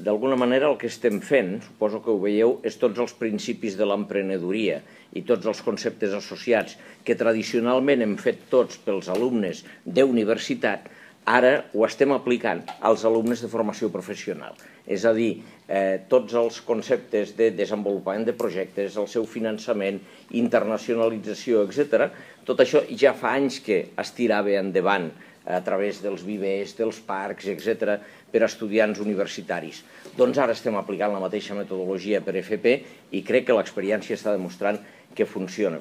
d'alguna manera el que estem fent, suposo que ho veieu, és tots els principis de l'emprenedoria i tots els conceptes associats que tradicionalment hem fet tots pels alumnes d'universitat, ara ho estem aplicant als alumnes de formació professional. És a dir, tots els conceptes de desenvolupament de projectes, el seu finançament, internacionalització, etc., tot això ja fa anys que es tirava endavant a través dels vivers, dels parcs, etc., per a estudiants universitaris. Doncs ara estem aplicant la mateixa metodologia per FP i crec que l'experiència està demostrant que funciona.